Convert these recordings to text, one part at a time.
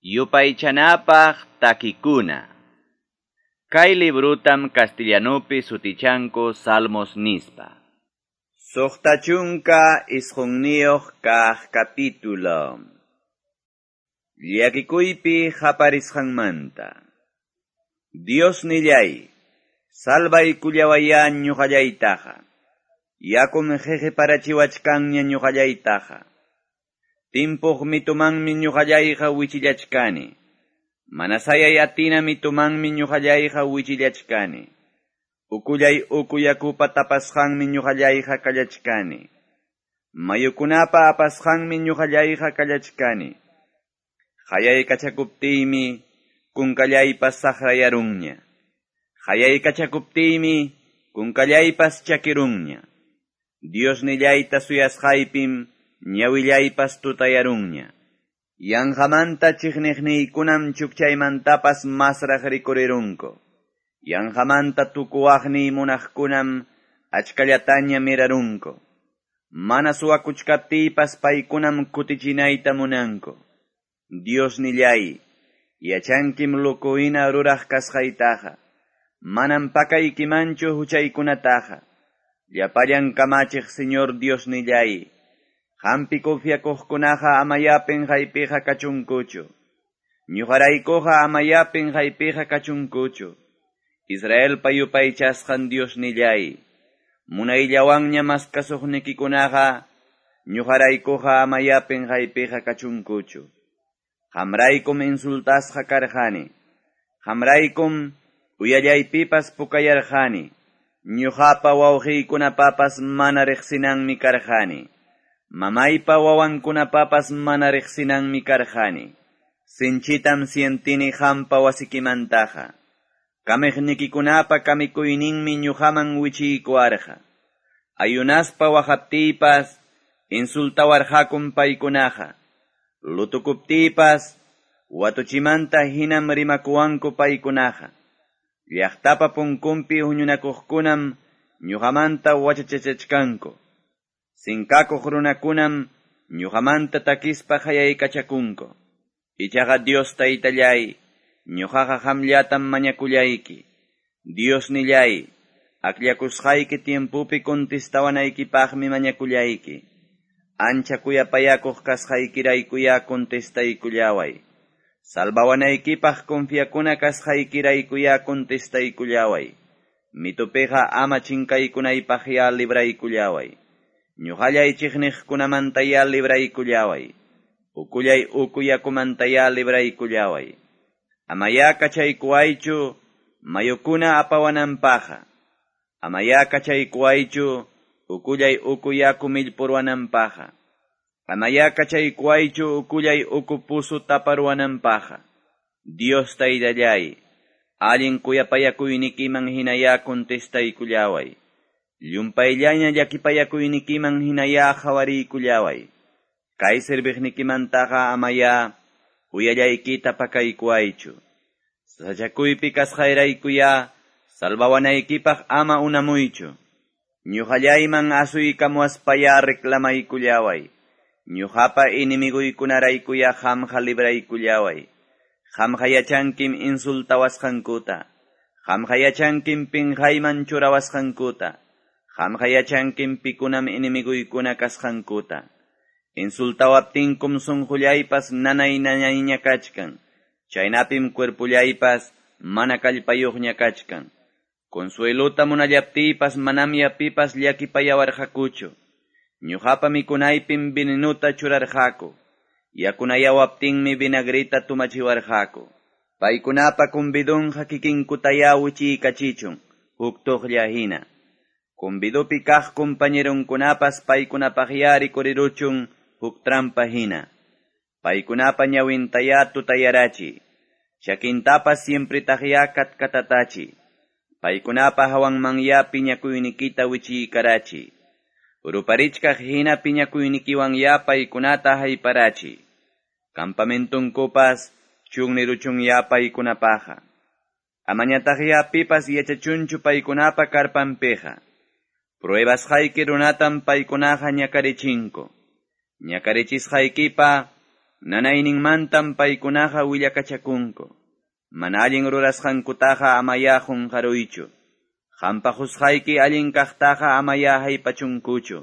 Yupaychanapaq takikuna. Kay librutam castellanupi sutichanku Salmos nispa. 69 kaq capítulo. Llakikuypi qaparisqanmanta. Dios nillay, salvaykullawayá ñuqallaytaqa. Yakum qhiqiparachiwachkanña ñuqallaytaqa. Timpuq mitumanmi ñuqallayqa wichillachkani. Mana sayay atina mitumanmi ñuqallayqa wichillachkani. Ukullay uku yakupa tapasqanmi ñuqallayqa kallachkani. Mayukunapa apasqanmi ñuqallayqa kallachkani. Qayaykachakuptiymi kunkallaypas saqrayarunña. Qayaykachakuptiymi kunkallaypas chakirunña. Dios nillayta suyasqaypim ñawillaypas tutayarunña. Yanqamanta chiqniqniykunam chukchaymantapas masraq rikurirunku. Yanqamanta tukuwaqniy munaqkunam achkallataña mirarunku. Mana suwakuchkaptiypas paykunam kutichinayta munanku. Dios nillay, yachankim lukuhina ruraq kasqaytaqa. Manam pakaykimanchu huchaykunataqa. Llapallan kamachiq Señor Dios nillay, qampi confiakuqkunaqa amayá pinqaypiqa kachunkuchu. Ñuqaraykuqa amayá pinqaypiqa kachunkuchu. Israelpa yupaychasqan Dios nillay, munayllawanña maskasuqnikikunaqa ñuqaraykuqa amayá pinqaypiqa kachunkuchu. Qamraykum insultasqa karqani. Qamraykum uyallaypipas pukayarqani. Ñuqapa wawqiykunapapas mana riqsinanmi karqani. Mamaypa wawankunapapas mana riqsinanmi karqani. Sinchitam sientini qampa wasikimantaqa. Kamiqnikikunapa kamikuyninmi ñuqaman wichiykuwarqa. Ayunaspa waqaptiypas insultawarqakum paykunaqa. Lutukuptiypas watuchimanta hinam rimakuwanku paykunaqa. Llaqtapa punkunpi huñunakuqkunam ñuqamanta wachachachachkanku. Sinkakuq runakunam ñuqamanta takispa qayaykachakunku. Ichaqa Dios taytallay, ñuqaqa qamllatam mañakullayki. Dios nillay, akllakusqayki tiempupi contestawanaykipaqmi mañakullayki. Ancha kuyapayakuq kasqaykiraykuyá contestaykullaway. Salvawanaykipaq confiakuna kasqaykiraykuyá contestaykullaway. Mitupiqa ama chinkaykunaypaqyá libraykullaway. Ñuqallay chiqniqkunamantayá libraykullaway. Ukullay uku yakumantayá libraykullaway. Amayá kachaykuwaychu mayukuna apawananpaqa. Amayá kachaykuwaychu ukullay uku yaku millpurwananpaqa. Amayá kachaykuwaychu ukullay uku pusu taparwananpaqa. Dios taytallay, allin kuyapayakuynikiman hinayá contestaykullaway. Llumpayllaña llakipayakuynikiman hinayá qhawariykullaway. Kay serviqnikimantaqa amayá uyallaykita pakaykuwaychu. Sasachakuypi kasqayraykuyá salvawanaykipaq ama unamuychu. Ñuqallayman asuykamuwaspayá reclamaykullaway. Ñuqapa enemiguykunaraykuyá qamqa libraykullaway. Qamqa yachankim insultawasqankuta. Qamqa yachankim pinqayman churawasqankuta. Qamqa yachankim pikunam enemiguykuna kasqankuta. Insultawaptinkum sunqullaypas nanay nanayña kachkan. Chaynapim cuerpullaypas mana kallpayuqña kachkan. Consuelota munallaptiypas manamya pipas llakipayawarqakuchu. Ñuqapa mikunaypim venenuta churarqaku. Yakunayawaptinmi vinagrita tumachiwarqaku. Paykunapa convidunqa kikinkutayá wichiykachichun, huk tuqlla hina. Convidupi kaq compañeronkunapas paykunapaqyá rikuriruchun huk trampa hina. Paykunapa ñawintayá tutayarachi. Chakintapas siempretaqyá katkatatachi. Paykunapa hawanmanyá piñakuynikita wichiykarachi. Ruparichkaq hina piñakuynikiwanyá paykunata hayparachi. Campamentunkupas chunniruchunyá paykunapaqa. Amañataqyá pipas yachachunchu paykunapa karpanpiqa. Pruebasqayki runatam paykunaqa ñakarichinku. Ñakarichisqaykipa Nanayninmantam paykunaqa willakachakunku. Mana allin rurasqankutaqa amayá qunqaruychu. Qampa qusqayki allin kaqtaqa amayá haypachunkuchu.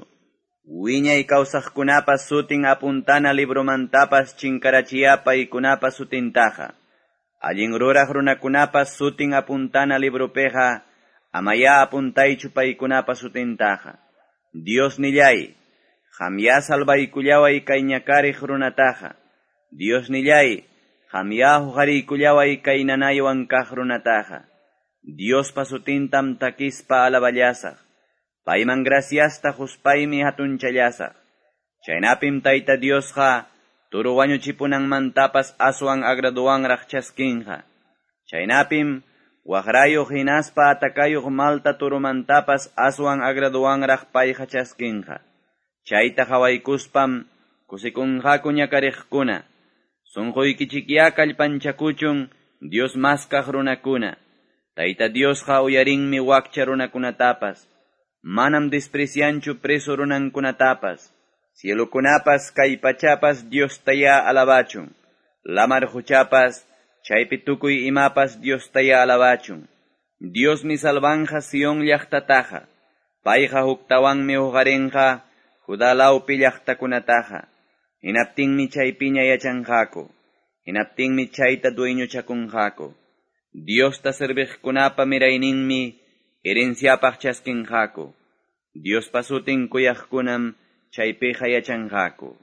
Wiñay kawsaqkunapa sutin apuntana libromantapas chinkarachiya paykunapa sutintaqa. Allin ruraq runakunapa sutin apuntana libropiqa amayá apuntaychu paykunapa sutintaqa. Diosnilláy, qamyá salvaykullaway kay ñakariq runataqa. Diosnilláy, qamyá huqariykullaway kay nanaywan kaq runataqa. Diospa sutintam takispa alaballasaq. Payman graciasta quspaymi hatunchallasaq. Chaynapim Tayta Diosqa turu wañuchipunanmantapas aswan agraduwanraq chaskinqa. Chaynapim waqrayuq hinaspa atakayuq malta turumantapas aswan agraduwanraq payqa chaskinqa. Chayta qhawaykuspam kusikunqaku ñakariqkuna. Sunquykichikyá kallpanchakuchun Dios maskaq runakuna. Tayta Diosqa uyarinmi wakcha runakunatapas. Manam desprecianchu preso runankunatapas. Cielokunapas kay pachapas Diostayá alabachun. Lamar quchapas chaypi tukuy imapas Diostayá alabachun. Diosmi salvanja Sion llaqtataqa. Payqa huktawanmi huqarinqa Judá lawpi llaqtakunataqa. Hinaptinmi chaypiña yachanqaku. Hinaptinmi chayta dueñochakunqaku. Diosta serviqkunapa mirayninmi herenciapaq chaskinqaku. Diospa sutin kuyaqkunam chaypiqa yachanqaku.